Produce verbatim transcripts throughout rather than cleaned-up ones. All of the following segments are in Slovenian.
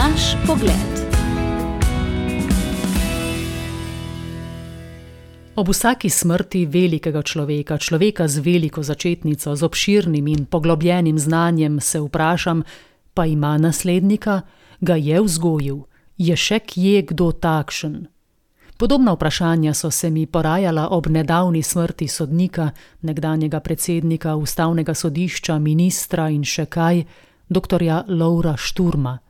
Naš pogled. Ob vsaki smrti velikega človeka, človeka z veliko začetnico, z obširnim in poglobljenim znanjem, se vprašam, pa ima naslednika, ga je vzgojil, je še kje kdo takšen? Podobna vprašanja so se mi porajala ob nedavni smrti sodnika, nekdanjega predsednika ustavnega sodišča, ministra in še kaj, doktorja Lovra Šturma.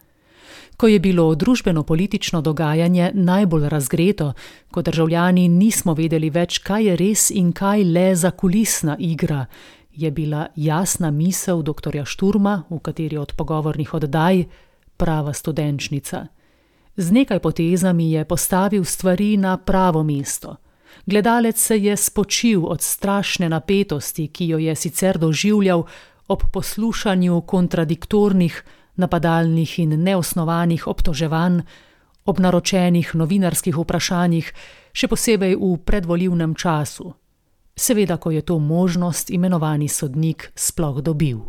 Ko je bilo družbeno-politično dogajanje najbolj razgreto, ko državljani nismo vedeli več, kaj je res in kaj le zakulisna igra, je bila jasna misel doktorja Šturma, v kateri od pogovornih oddaj, prava studenčnica. Z nekaj potezami je postavil stvari na pravo mesto. Gledalec se je spočil od strašne napetosti, ki jo je sicer doživljal ob poslušanju kontradiktornih, napadalnih in neosnovanih obtoževanj, ob naročenih novinarskih vprašanjih, še posebej v predvolilnem času. Seveda, ko je to možnost imenovani sodnik sploh dobil.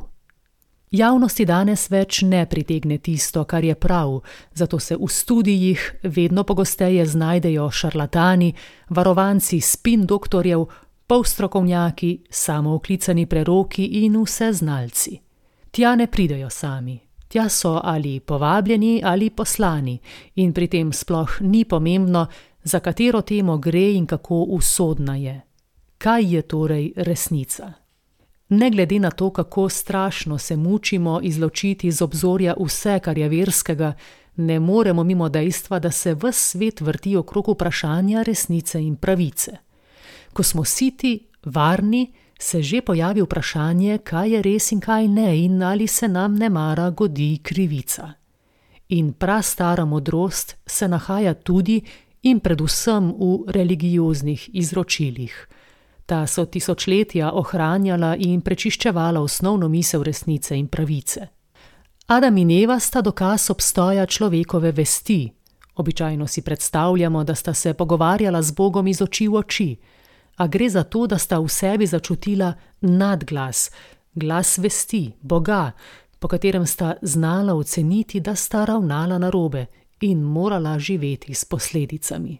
Javnosti danes več ne pritegne tisto, kar je prav, zato se v studijih vedno pogosteje znajdejo šarlatani, varovanci spin doktorjev, polstrokovnjaki, samooklicani preroki in vseznalci. Tja ne pridejo sami. Tja so ali povabljeni ali poslani in pri tem sploh ni pomembno, za katero temo gre in kako usodna je. Kaj je torej resnica? Ne glede na to, kako strašno se mučimo izločiti z obzorja vse, kar je verskega, ne moremo mimo dejstva, da se ves svet vrti okrog vprašanja resnice in pravice. Ko smo siti, varni, se že pojavi vprašanje, kaj je res in kaj ne in ali se nam nemara godi krivica. In prastara modrost se nahaja tudi in predvsem v religioznih izročilih. Ta so tisočletja ohranjala in prečiščevala osnovno misel resnice in pravice. Adam in Eva sta dokaz obstoja človekove vesti. Običajno si predstavljamo, da sta se pogovarjala z Bogom iz oči v oči, a gre za to, da sta v sebi začutila nadglas, glas vesti, Boga, po katerem sta znala oceniti, da sta ravnala narobe in morala živeti s posledicami.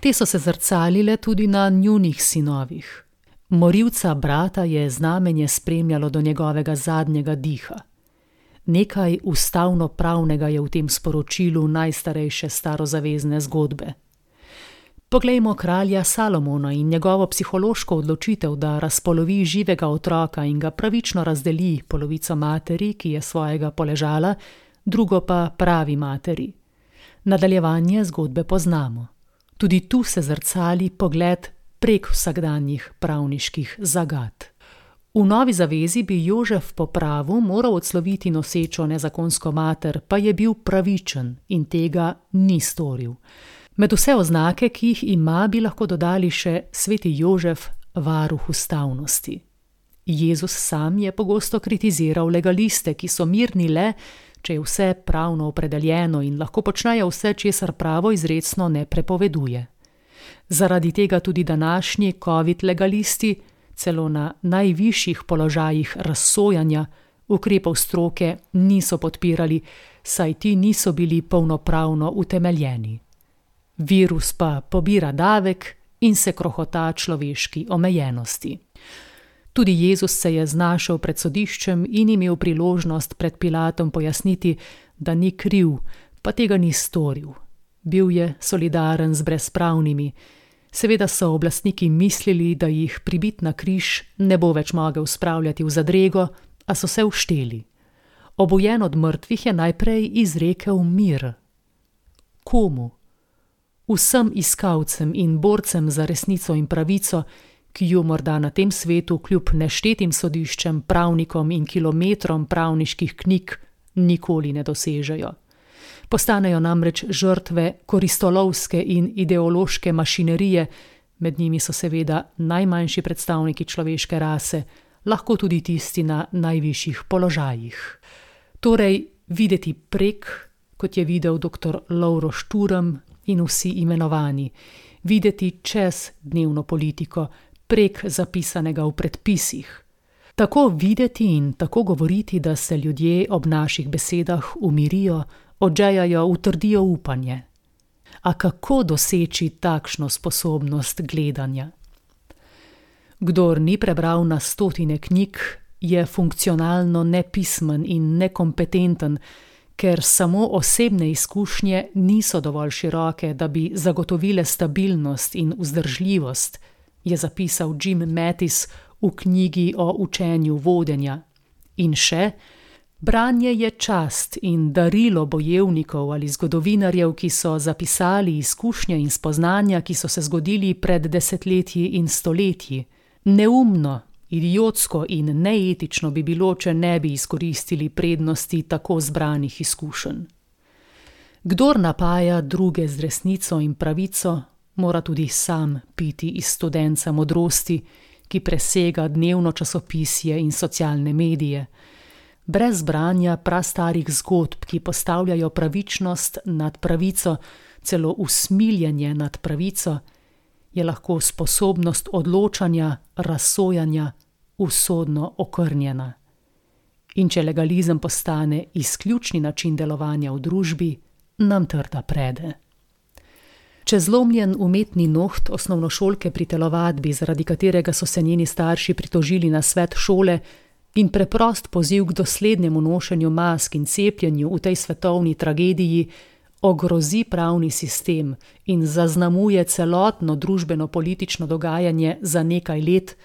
Te so se zrcalile tudi na njunih sinovih. Morilca brata je znamenje spremljalo do njegovega zadnjega diha. Nekaj ustavno-pravnega je v tem sporočilu najstarejše starozavezne zgodbe. Poglejmo kralja Salomona in njegovo psihološko odločitev, da razpolovi živega otroka in ga pravično razdeli, polovico materi, ki je svojega poležala, drugo pa pravi materi. Nadaljevanje zgodbe poznamo. Tudi tu se zrcali pogled prek vsakdanjih pravniških zagad. V Novi zavezi bi Jožef po pravu moral odsloviti nosečo nezakonsko mater, pa je bil pravičen in tega ni storil. Med vse oznake, ki jih ima, bi lahko dodali še sveti Jožef, varuh ustavnosti. Jezus sam je pogosto kritiziral legaliste, ki so mirni le, če je vse pravno opredeljeno in lahko počnejo vse, česar pravo izrecno ne prepoveduje. Zaradi tega tudi današnji covid legalisti, celo na najvišjih položajih razsojanja, ukrepov stroke niso podpirali, saj ti niso bili polnopravno utemeljeni. Virus pa pobira davek in se krohota človeški omejenosti. Tudi Jezus se je znašel pred sodiščem in imel priložnost pred Pilatom pojasniti, da ni kriv, pa tega ni storil. Bil je solidaren z brezpravnimi. Seveda so oblastniki mislili, da jih pribit na križ ne bo več mogel spravljati v zadrego, a so se ušteli. Obujen od mrtvih je najprej izrekel mir. Komu? Vsem iskalcem in borcem za resnico in pravico, ki jo morda na tem svetu kljub neštetim sodiščem, pravnikom in kilometrom pravniških knjig nikoli ne dosežejo. Postanejo namreč žrtve koristolovske in ideološke mašinerije, med njimi so seveda najmanjši predstavniki človeške rase, lahko tudi tisti na najvišjih položajih. Torej, videti prek, kot je videl doktor Lovro Šturm in vsi imenovani, videti čez dnevno politiko, prek zapisanega v predpisih. Tako videti in tako govoriti, da se ljudje ob naših besedah umirijo, odžejajo utrdijo upanje. A kako doseči takšno sposobnost gledanja? Kdor ni prebral na stotine knjig, je funkcionalno nepismen in nekompetenten, ker samo osebne izkušnje niso dovolj široke, da bi zagotovile stabilnost in vzdržljivost, je zapisal Jim Mattis v knjigi o učenju vodenja. In še, branje je čast in darilo bojevnikov ali zgodovinarjev, ki so zapisali izkušnje in spoznanja, ki so se zgodili pred desetletji in stoletji. Neumno, idiotsko in neetično bi bilo, če ne bi izkoristili prednosti tako zbranih izkušenj. Kdor napaja druge z resnico in pravico, mora tudi sam piti iz studenca modrosti, ki presega dnevno časopisje in socialne medije. Brez branja prastarih zgodb, ki postavljajo pravičnost nad pravico, celo usmiljenje nad pravico, je lahko sposobnost odločanja, razsojanja usodno okrnjena. In če legalizem postane izključni način delovanja v družbi, nam trda prede. Če zlomljen umetni noht osnovnošolke pri telovadbi, zaradi katerega so se njeni starši pritožili na svet šole, in preprost poziv k doslednemu nošenju mask in cepljenju v tej svetovni tragediji ogrozi pravni sistem in zaznamuje celotno družbeno-politično dogajanje za nekaj let,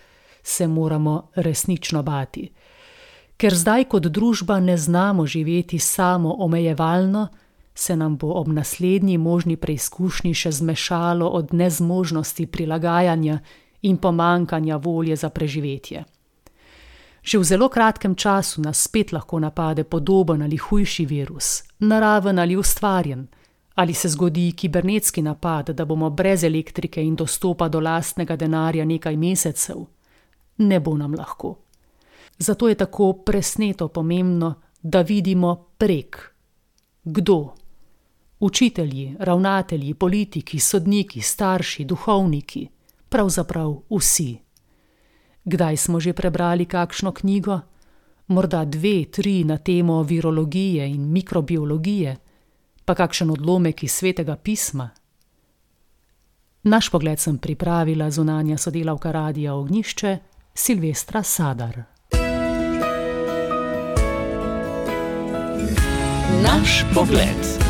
se moramo resnično bati. Ker zdaj kot družba ne znamo živeti samo omejevalno, se nam bo ob naslednji možni preizkušnji še zmešalo od nezmožnosti prilagajanja in pomankanja volje za preživetje. Že v zelo kratkem času nas spet lahko napade podoben ali hujši virus, naraven ali ustvarjen, ali se zgodi kibernetski napad, da bomo brez elektrike in dostopa do lastnega denarja nekaj mesecev. Ne bo nam lahko. Zato je tako presneto pomembno, da vidimo prek. Kdo? Učitelji, ravnatelji, politiki, sodniki, starši, duhovniki, pravzaprav vsi. Kdaj smo že prebrali kakšno knjigo? Morda dve, tri na temo virologije in mikrobiologije, pa kakšen odlomek iz Svetega pisma? Naš pogled sem pripravila zunanja sodelavka Radia Ognjišče, Silvestra Sadar. Naš pogled.